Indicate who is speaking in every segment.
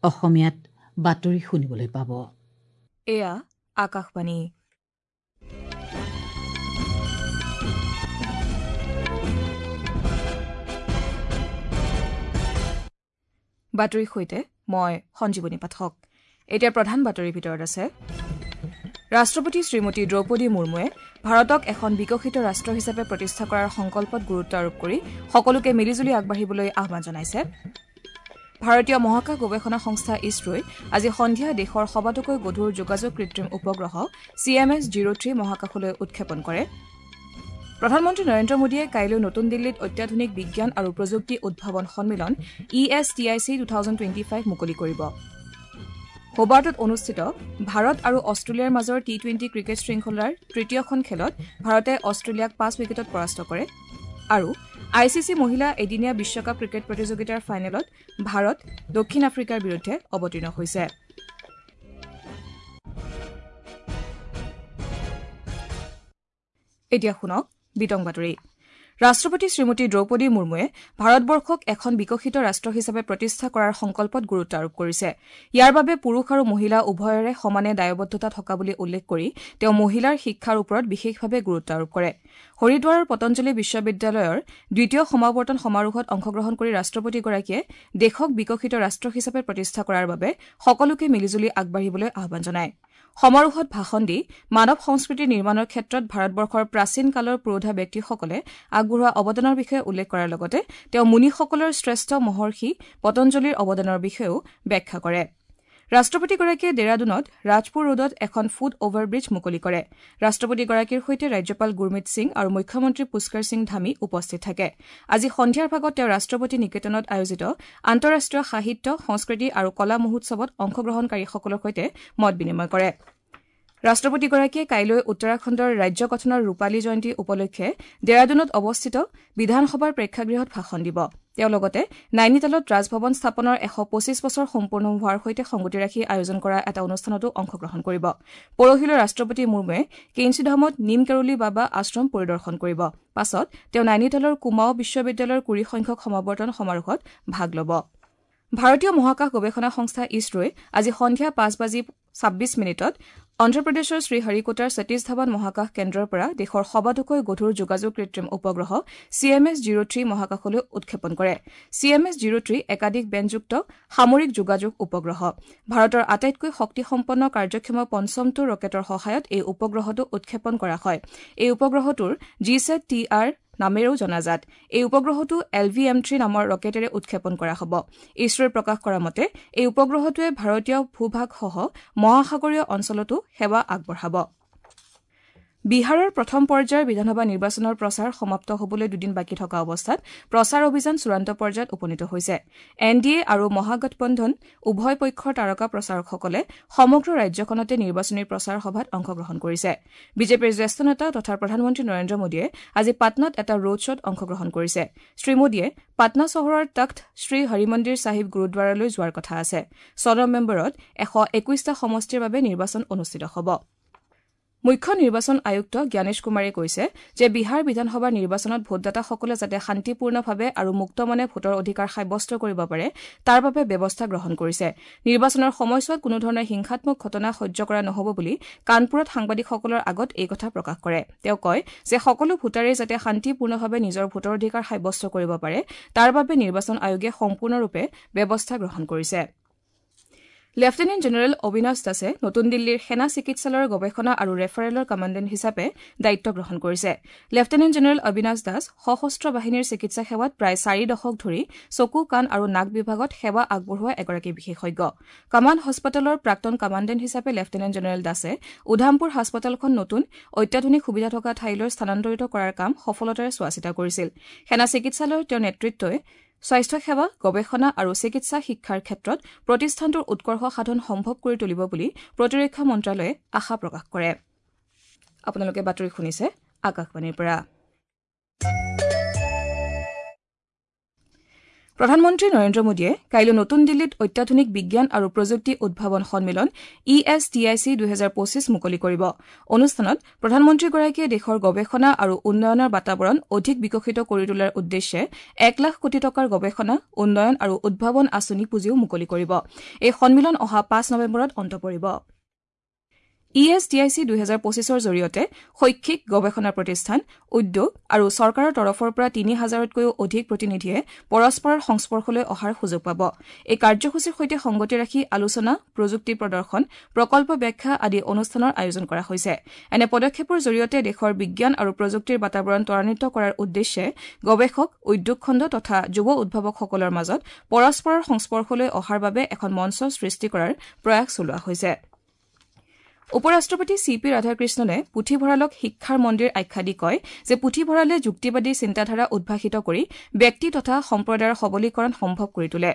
Speaker 1: অসমীয়াত বাতৰি শুনিবলৈ পাব।
Speaker 2: এয়া আকাশবাণী। বাতৰিৰ সৈতে মই সঞ্জীৱনী পাঠক। এতিয়া প্ৰধান বাতৰিৰ ভিতৰত আছে ৰাষ্ট্ৰপতি শ্ৰীমতী দ্ৰৌপদী মুৰ্মুৱে ভাৰতক এখন বিকশিত ৰাষ্ট্ৰ হিচাপে প্ৰতিষ্ঠা কৰাৰ সংকল্পত গুৰুত্ব আৰোপ কৰি সকলোকে মিলিজুলি আগবাঢ়িবলৈ আহ্বান জনাইছে। ভাৰতীয় মহাকাশ গৱেষণা সংস্থা ইছৰোই আজি সন্ধিয়া দেশৰ সবাতোকৈ গধুৰ যোগাযোগ কৃত্ৰিম উপগ্ৰহ CMS 03 মহাকাশলৈ উৎক্ষেপণ কৰে। প্ৰধানমন্ত্ৰী নৰেন্দ্ৰ মোদীয়ে কাইলৈ নতুন দিল্লীত অত্যাধুনিক বিজ্ঞান আৰু প্ৰযুক্তি উদ্ভাৱন সন্মিলন ESTIC 2025 মুকলি কৰিব। হোবাৰ্টত অনুষ্ঠিত ভাৰত আৰু অষ্ট্ৰেলিয়াৰ মাজৰ টি-20 ক্ৰিকেট শৃংখলাৰ তৃতীয়খন খেলত ভাৰতে অষ্ট্ৰেলিয়াক 5 উইকেটত পৰাস্ত কৰে। আৰু ICC মহিলা এদিনীয়া বিশ্বকাপ ক্ৰিকেট প্ৰতিযোগিতাৰ ফাইনেলত ভাৰত দক্ষিণ আফ্ৰিকাৰ বিৰুদ্ধে অৱতীৰ্ণ হৈছে। এতিয়া শুনক বিতং বাতৰি। ৰাষ্ট্ৰপতি শ্ৰীমতী দ্ৰৌপদী মুৰ্মুৱে ভাৰতবৰ্ষক এখন বিকশিত ৰাষ্ট্ৰ হিচাপে প্ৰতিষ্ঠা কৰাৰ সংকল্পত গুৰুত্ব আৰোপ কৰিছে। ইয়াৰ বাবে পুৰুষ আৰু মহিলা উভয়ৰে সমানে দায়বদ্ধতা থকা বুলি উল্লেখ কৰি তেওঁ মহিলাৰ শিক্ষাৰ ওপৰত বিশেষভাৱে গুৰুত্ব আৰোপ কৰে। হৰিদ্বাৰৰ পতঞ্জলি বিশ্ববিদ্যালয়ৰ দ্বিতীয় সমাৱৰ্তন সমাৰোহত অংশগ্ৰহণ কৰি ৰাষ্ট্ৰপতিগৰাকীয়ে দেশক বিকশিত ৰাষ্ট্ৰ হিচাপে প্ৰতিষ্ঠা কৰাৰ বাবে সকলোকে মিলিজুলি আগবাঢ়িবলৈ আহ্বান জনায়। সমাৰোহত ভাষণ দি মানৱ সংস্কৃতি নিৰ্মাণৰ ক্ষেত্ৰত ভাৰতবৰ্ষৰ প্ৰাচীন কালৰ পুৰোধা ব্যক্তিসকলে আগবঢ়োৱা অৱদানৰ বিষয়ে উল্লেখ কৰাৰ লগতে তেওঁ মুনিসকলৰ শ্ৰেষ্ঠ মহৰ্ষি পতঞ্জলিৰ অৱদানৰ বিষয়েও ব্যাখ্যা কৰে। ৰাষ্ট্ৰপতিগৰাকীয়ে ডেৰাডুনত ৰাজপুৰ ৰোডত এখন ফুট অভাৰব্ৰীজ মুকলি কৰে। ৰাষ্ট্ৰপতিগৰাকীৰ সৈতে ৰাজ্যপাল গুৰমিত সিং আৰু মুখ্যমন্ত্ৰী পুষ্কৰ সিং ধামী উপস্থিত থাকে। আজি সন্ধিয়াৰ ভাগত তেওঁ ৰাষ্ট্ৰপতি নিকেতনত আয়োজিত আন্তঃৰাষ্ট্ৰীয় সাহিত্য, সংস্কৃতি আৰু কলা মহোৎসৱত অংশগ্ৰহণকাৰীসকলৰ সৈতে মত বিনিময় কৰে। ৰাষ্ট্ৰপতিগৰাকীয়ে কাইলৈ উত্তৰাখণ্ডৰ ৰাজ্য গঠনৰ ৰূপালী জয়ন্তী উপলক্ষে ডেৰাডুনত অৱস্থিত বিধানসভাৰ প্ৰেক্ষাগৃহত ভাষণ দিব। তেওঁ লগতে নাইনিতালত ৰাজভৱন স্থাপনৰ 125 বছৰ সম্পূৰ্ণ হোৱাৰ সৈতে সংগতি ৰাখি আয়োজন কৰা এটা অনুষ্ঠানতো অংশগ্ৰহণ কৰিব। পৰহিলৈ ৰাষ্ট্ৰপতি মুৰ্মুৱে কেইঞ্চিধামত নিম কেৰলি বাবা আশ্ৰম পৰিদৰ্শন কৰিব। পাছত তেওঁ নাইনিতালৰ কুমাও বিশ্ববিদ্যালয়ৰ 20 সংখ্যক সমাৱৰ্তন সমাৰোহত ভাগ ল'ব। ভাৰতীয় মহাকাশ গৱেষণা সংস্থা ইছৰোই আজি সন্ধিয়া 5:26 অন্ধ্ৰপ্ৰদেশৰ শ্ৰীহৰিকোটাৰ সতীশ ধাৱান মহাকাশ কেন্দ্ৰৰ পৰা দেশৰ সবাতোকৈ গধুৰ যোগাযোগ কৃত্ৰিম উপগ্ৰহ CMS 03 মহাকাশলৈ উৎক্ষেপণ কৰে। CMS 03 একাধিক বেণ্ডযুক্ত সামৰিক যোগাযোগ উপগ্ৰহ। ভাৰতৰ আটাইতকৈ শক্তিসম্পন্ন কাৰ্যক্ষম পঞ্চমটো ৰকেটৰ সহায়ত এই উপগ্ৰহটো উৎক্ষেপণ কৰা হয়। এই উপগ্ৰহটোৰ GSAT-TR নামেৰেও জনাজাত। এই উপগ্ৰহটো LVM3 নামৰ ৰকেটেৰে উৎক্ষেপণ কৰা হ'ব। ইছৰোই প্ৰকাশ কৰা মতে এই উপগ্ৰহটোৱে ভাৰতীয় ভূভাগসহ মহাসাগৰীয় অঞ্চলতো সেৱা আগবঢ়াব। বিহাৰৰ প্ৰথম পৰ্যায়ৰ বিধানসভা নিৰ্বাচনৰ প্ৰচাৰ সমাপ্ত হ'বলৈ দুদিন বাকী থকা অৱস্থাত প্ৰচাৰ অভিযান চূড়ান্ত পৰ্যায়ত উপনীত হৈছে। NDA আৰু মহাগঠবন্ধন উভয় পক্ষৰ তাৰকা প্ৰচাৰকসকলে সমগ্ৰ ৰাজ্যখনতে নিৰ্বাচনী প্ৰচাৰ সভাত অংশগ্ৰহণ কৰিছে। বিজেপিৰ জ্যেষ্ঠ নেতা তথা প্ৰধানমন্ত্ৰী নৰেন্দ্ৰ মোদীয়ে আজি পাটনাত এটা ৰোড শ্বত অংশগ্ৰহণ কৰিছে। শ্ৰী মোদীয়ে পাটনা চহৰৰ তখ্ত শ্ৰী হৰিমন্দিৰ চাহিব গুৰুদ্বাৰলৈ যোৱাৰ কথা আছে। 6 নৱেম্বৰত 121টা সমষ্টিৰ বাবে নিৰ্বাচন অনুষ্ঠিত হ'ব। মুখ্য নিৰ্বাচন আয়ুক্ত জ্ঞানেশ কুমাৰে কৈছে যে বিহাৰ বিধানসভাৰ নিৰ্বাচনত ভোটদাতাসকলে যাতে শান্তিপূৰ্ণভাৱে আৰু মুক্তমনে ভোটৰ অধিকাৰ সাব্যস্ত কৰিব পাৰে তাৰ বাবে ব্যৱস্থা গ্ৰহণ কৰিছে। নিৰ্বাচনৰ সময়ছোৱাত কোনোধৰণৰ হিংসাত্মক ঘটনা সহ্য কৰা নহ'ব বুলি কানপুৰত সাংবাদিকসকলৰ আগত এই কথা প্ৰকাশ কৰে। তেওঁ কয় যে সকলো ভোটাৰেই যাতে শান্তিপূৰ্ণভাৱে নিজৰ ভোটৰ অধিকাৰ সাব্যস্ত কৰিব পাৰে তাৰ বাবে নিৰ্বাচন আয়োগে সম্পূৰ্ণৰূপে ব্যৱস্থা গ্ৰহণ কৰিছে। লেফটেনেণ্ট জেনেৰেল অবিনাশ দাসে নতুন দিল্লীৰ সেনা চিকিৎসালয়ৰ গৱেষণা আৰু ৰেফাৰেলৰ কমাণ্ডেণ্ট হিচাপে দায়িত্ব গ্ৰহণ কৰিছে। লেফটেনেণ্ট জেনেৰেল অবিনাশ দাস সশস্ত্ৰ বাহিনীৰ চিকিৎসা সেৱাত প্ৰায় 4 দশক ধৰি চকু, কাণ আৰু নাক বিভাগত সেৱা আগবঢ়োৱা এগৰাকী বিশেষজ্ঞ। কমাণ্ড হাস্পতালৰ প্ৰাক্তন কমাণ্ডেণ্ট হিচাপে লেফটেনেণ্ট জেনেৰেল দাসে উধামপুৰ হাস্পতালখন নতুন অত্যাধুনিক সুবিধা থকা ঠাইলৈ স্থানান্তৰিত কৰাৰ কাম সফলতাৰে চোৱাচিতা কৰিছিল। সেনা চিকিৎসালয়ৰ তেওঁৰ নেতৃত্বই স্বাস্থ্যসেৱা, গৱেষণা আৰু চিকিৎসা শিক্ষাৰ ক্ষেত্ৰত প্ৰতিষ্ঠানটোৰ উৎকৰ্ষ সাধন সম্ভৱ কৰি তুলিব বুলি প্ৰতিৰক্ষা মন্ত্ৰালয়ে আশা প্ৰকাশ কৰে। আপোনালোকে বাতৰি শুনিছে আকাশবাণীৰ পৰা। প্ৰধানমন্ত্ৰী নৰেন্দ্ৰ মোদীয়ে কাইলৈ নতুন দিল্লীত অত্যাধুনিক বিজ্ঞান আৰু প্ৰযুক্তি উদ্ভাৱন সন্মিলন ESTIC 2025 মুকলি কৰিব। অনুষ্ঠানত প্ৰধানমন্ত্ৰীগৰাকীয়ে দেশৰ গৱেষণা আৰু উন্নয়নৰ বাতাবৰণ অধিক বিকশিত কৰি তোলাৰ উদ্দেশ্যে 1 লাখ কোটি টকাৰ গৱেষণা, উন্নয়ন আৰু উদ্ভাৱন আঁচনি পুঁজিও মুকলি কৰিব। এই সন্মিলন অহা 5 নৱেম্বৰত অন্ত পৰিব। ESTIC 2025ৰ জৰিয়তে শৈক্ষিক, গৱেষণা প্ৰতিষ্ঠান, উদ্যোগ আৰু চৰকাৰৰ তৰফৰ পৰা 3000তকৈও অধিক প্ৰতিনিধিয়ে পৰস্পৰৰ সংস্পৰ্শলৈ অহাৰ সুযোগ পাব। এই কাৰ্যসূচীৰ সৈতে সংগতি ৰাখি আলোচনা, প্ৰযুক্তি প্ৰদৰ্শন, প্ৰকল্প ব্যাখ্যা আদি অনুষ্ঠানৰ আয়োজন কৰা হৈছে। এনে পদক্ষেপৰ জৰিয়তে দেশৰ বিজ্ঞান আৰু প্ৰযুক্তিৰ বাতাবৰণ ত্বৰান্বিত কৰাৰ উদ্দেশ্যে গৱেষক, উদ্যোগ খণ্ড তথা যুৱ উদ্ভাৱকসকলৰ মাজত পৰস্পৰৰ সংস্পৰ্শলৈ অহাৰ বাবে এখন মঞ্চ সৃষ্টি কৰাৰ প্ৰয়াস চলোৱা হৈছে। উপ-ৰাষ্ট্ৰপতি চি পি ৰাধাকৃষ্ণনে পুথিভঁৰালক শিক্ষাৰ মন্দিৰ আখ্যা দি কয় যে পুথিভঁৰালে যুক্তিবাদী চিন্তাধাৰা উদ্ভাসিত কৰি ব্যক্তি তথা সম্প্ৰদায়ৰ সবলীকৰণ সম্ভৱ কৰি তোলে।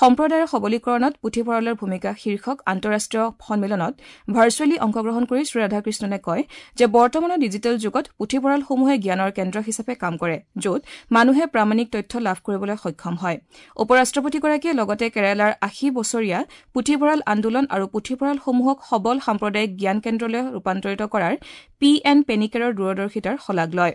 Speaker 2: সম্প্ৰদায়ৰ সবলীকৰণত পুথিভঁৰালৰ ভূমিকা শীৰ্ষক আন্তঃৰাষ্ট্ৰীয় সন্মিলনত ভাৰ্চুৱেলী অংশগ্ৰহণ কৰি শ্ৰীৰাধাকৃষ্ণনে কয় যে বৰ্তমানৰ ডিজিটেল যুগত পুথিভঁৰালসমূহে জ্ঞানৰ কেন্দ্ৰ হিচাপে কাম কৰে, য'ত মানুহে প্ৰামাণিক তথ্য লাভ কৰিবলৈ সক্ষম হয়। উপ-ৰাষ্ট্ৰপতিগৰাকীয়ে লগতে কেৰালাৰ 80 বছৰীয়া পুথিভঁৰাল আন্দোলন আৰু পুথিভঁৰালসমূহক সবল সাম্প্ৰদায়িক জ্ঞান কেন্দ্ৰলৈ ৰূপান্তৰিত কৰাৰ পি এন পেনিকেৰৰ দূৰদৰ্শিতাৰ শলাগ লয়।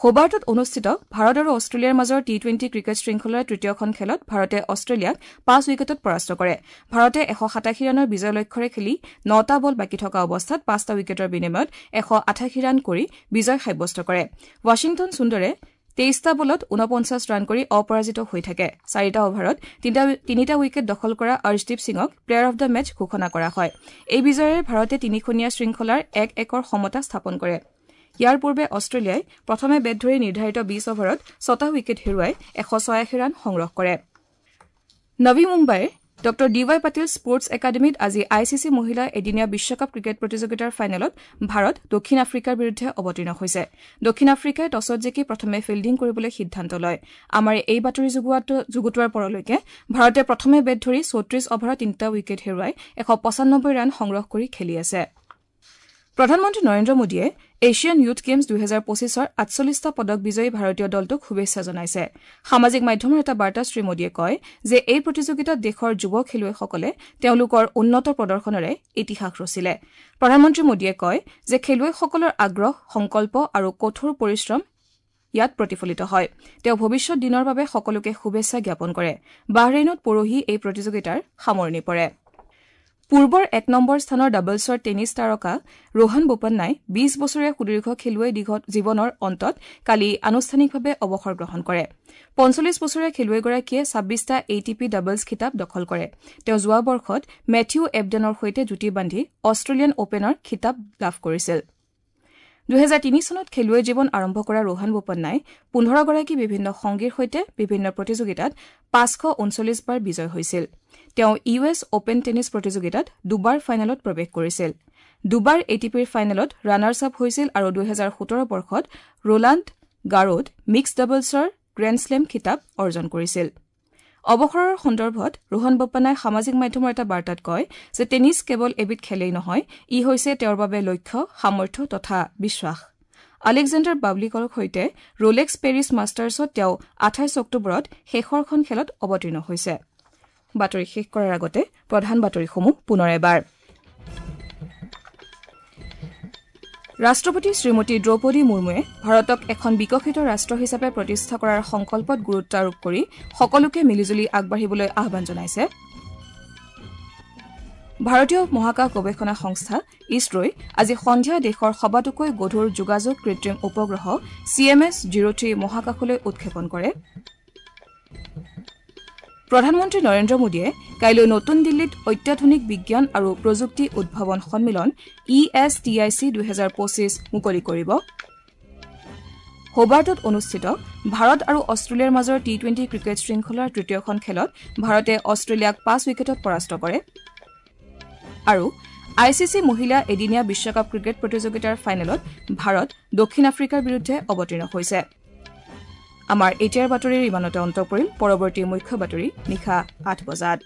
Speaker 2: হোবাৰ্টত অনুষ্ঠিত ভাৰত আৰু অষ্ট্ৰেলিয়াৰ মাজৰ টি-টুৱেণ্টি ক্ৰিকেট শৃংখলাৰ তৃতীয়খন খেলত ভাৰতে অষ্ট্ৰেলিয়াক 5 উইকেটত পৰাস্ত কৰে। ভাৰতে 187 ৰানৰ বিজয় লক্ষ্যৰে খেলি 9টা বল বাকী থকা অৱস্থাত 5টা উইকেটৰ বিনিময়ত 188 ৰান কৰি বিজয় সাব্যস্ত কৰে। ৱাশ্বিংটন সুন্দৰে 23টা বলত 49 ৰান কৰি অপৰাজিত হৈ থাকে। 4টা অভাৰত 3টা উইকেট দখল কৰা অৰ্শদীপ সিঙক প্লেয়াৰ অব the match ঘোষণা কৰা হয়। এই বিজয়েৰে ভাৰতে তিনিখনীয়া শৃংখলাৰ 1-1ৰ সমতা স্থাপন কৰে। ইয়াৰ পূৰ্বে অষ্ট্ৰেলিয়াই প্ৰথমে বেট ধৰি নিৰ্ধাৰিত 20 অভাৰত 6টা উইকেট হেৰুৱাই 186 ৰান সংগ্ৰহ কৰে। নৱী মুম্বাইৰ ড ডি ৱাই পাটিল স্পৰ্টছ একাডেমীত আজি I C C মহিলা এদিনীয়া বিশ্বকাপ ক্ৰিকেট প্ৰতিযোগিতাৰ ফাইনেলত ভাৰত দক্ষিণ আফ্ৰিকাৰ বিৰুদ্ধে অৱতীৰ্ণ হৈছে। দক্ষিণ আফ্ৰিকাই টছত জিকি প্ৰথমে ফিল্ডিং কৰিবলৈ সিদ্ধান্ত লয়। আমাৰ এই বাতৰি যুগুতোৱাৰ পৰলৈকে ভাৰতে প্ৰথমে বেট ধৰি 34 অভাৰত 3টা উইকেট হেৰুৱাই 195 ৰান সংগ্ৰহ কৰি খেলি আছে। প্ৰধানমন্ত্ৰী নৰেন্দ্ৰ মোদীয়ে এছিয়ান য়ুথ গেমছ 2025ৰ 48টা পদক বিজয়ী ভাৰতীয় দলটোক শুভেচ্ছা জনাইছে। সামাজিক মাধ্যমৰ এটা বাৰ্তাত শ্ৰীমোদীয়ে কয় যে এই প্ৰতিযোগিতাত দেশৰ যুৱ খেলুৱৈসকলে তেওঁলোকৰ উন্নত প্ৰদৰ্শনেৰে ইতিহাস ৰচিলে। প্ৰধানমন্ত্ৰী মোদীয়ে কয় যে খেলুৱৈসকলৰ আগ্ৰহ, সংকল্প আৰু কঠোৰ পৰিশ্ৰম ইয়াত প্ৰতিফলিত হয়। তেওঁ ভৱিষ্যত দিনৰ বাবে সকলোকে শুভেচ্ছা জ্ঞাপন কৰে। বাহৰেইনত পৰহি এই প্ৰতিযোগিতাৰ সামৰণি পৰে। পূৰ্বৰ 1 নম্বৰ স্থানৰ ডাবলছৰ টেনিছ তাৰকা ৰোহন বোপান্নাই 20 বছৰীয়া সুদীৰ্ঘ খেলুৱৈ জীৱনৰ অন্তত কালি আনুষ্ঠানিকভাৱে অৱসৰ গ্ৰহণ কৰে। 45 বছৰীয়া খেলুৱৈগৰাকীয়ে 26টা এ টি পি ডাবলছ খিতাপ দখল কৰে। তেওঁ যোৱা বৰ্ষত মেথিউ এবডেনৰ সৈতে যুটি বান্ধি অষ্ট্ৰেলিয়ান অপেনৰ খিতাপ লাভ কৰিছিল। 2003 চনত খেলুৱৈ জীৱন আৰম্ভ কৰা ৰোহন বোপান্নাই 15গৰাকী বিভিন্ন সংগীৰ সৈতে বিভিন্ন প্ৰতিযোগিতাত 539 বাৰ বিজয় হৈছিল। তেওঁ ইউ এছ অপেন টেনিছ প্ৰতিযোগিতাত দুবাৰ ফাইনেলত প্ৰৱেশ কৰিছিল, দুবাৰ এ টি পিৰ ফাইনেলত ৰানাৰ্ছ আপ হৈছিল আৰু 2017 বৰ্ষত ৰোলাণ্ড গাৰোত মিক্সড ডাবলছৰ গ্ৰেণ্ড শ্লেম খিতাপ অৰ্জন কৰিছিল। অৱসৰৰ সন্দৰ্ভত ৰোহন বোপান্নাই সামাজিক মাধ্যমৰ এটা বাৰ্তাত কয় যে টেনিছ কেৱল এবিধ খেলেই নহয়, ই হৈছে তেওঁৰ বাবে লক্ষ্য, সামৰ্থ্য তথা বিশ্বাস। আলেকজেণ্ডাৰ বাবলিকৰ সৈতে ৰোলেক্স পেৰিছ মাষ্টাৰ্ছত তেওঁ 28 অক্টোবৰত শেষৰখন খেলত অৱতীৰ্ণ হৈছে। বাতৰি শেষ কৰাৰ আগতে প্ৰধান বাতৰিসমূহ পুনৰ এবাৰ। ৰাষ্ট্ৰপতি শ্ৰীমতী দ্ৰৌপদী মুৰ্মুৱে ভাৰতক এখন বিকশিত ৰাষ্ট্ৰ হিচাপে প্ৰতিষ্ঠা কৰাৰ সংকল্পত গুৰুত্ব আৰোপ কৰি সকলোকে মিলিজুলি আগবাঢ়িবলৈ আহ্বান জনাইছে। ভাৰতীয় মহাকাশ গৱেষণা সংস্থা ইছৰোই আজি সন্ধিয়া দেশৰ সবাতোকৈ গধুৰ যোগাযোগ কৃত্ৰিম উপগ্ৰহ CMS 03 মহাকাশলৈ উৎক্ষেপণ কৰে। প্ৰধানমন্ত্ৰী নৰেন্দ্ৰ মোদীয়ে কাইলৈ নতুন দিল্লীত অত্যাধুনিক বিজ্ঞান আৰু প্ৰযুক্তি উদ্ভাৱন সন্মিলন ESTIC 2025 মুকলি কৰিব। হোবাৰ্টত অনুষ্ঠিত ভাৰত আৰু অষ্ট্ৰেলিয়াৰ মাজৰ টি-টুৱেণ্টি ক্ৰিকেট শৃংখলাৰ তৃতীয়খন খেলত ভাৰতে অষ্ট্ৰেলিয়াক 5 উইকেটত পৰাস্ত কৰে। আৰু I C C মহিলা এদিনীয়া বিশ্বকাপ ক্ৰিকেট প্ৰতিযোগিতাৰ ফাইনেলত ভাৰত দক্ষিণ আফ্ৰিকাৰ বিৰুদ্ধে অৱতীৰ্ণ হৈছে। আমাৰ এতিয়াৰ বাতৰিৰ ইমানতে অন্ত পৰিল। পৰৱৰ্তী মুখ্য বাতৰি নিশা 8 বজাত।